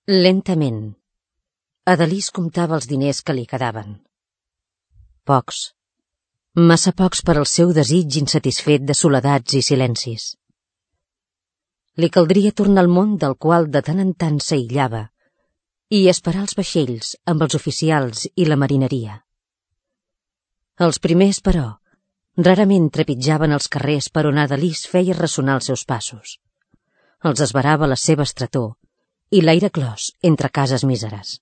Lentament, Adelís comptava els diners que li quedaven. Pocs, massa pocs per al seu desig insatisfet de soledats i silencis. Li caldria tornar al món del qual de tant en tant s'aïllava i esperar els vaixells amb els oficials i la marineria. Els primers, però, rarament trepitjaven els carrers per on Adelís feia ressonar els seus passos. Els esverava la seva estretor i l'aire clos entre cases míseres.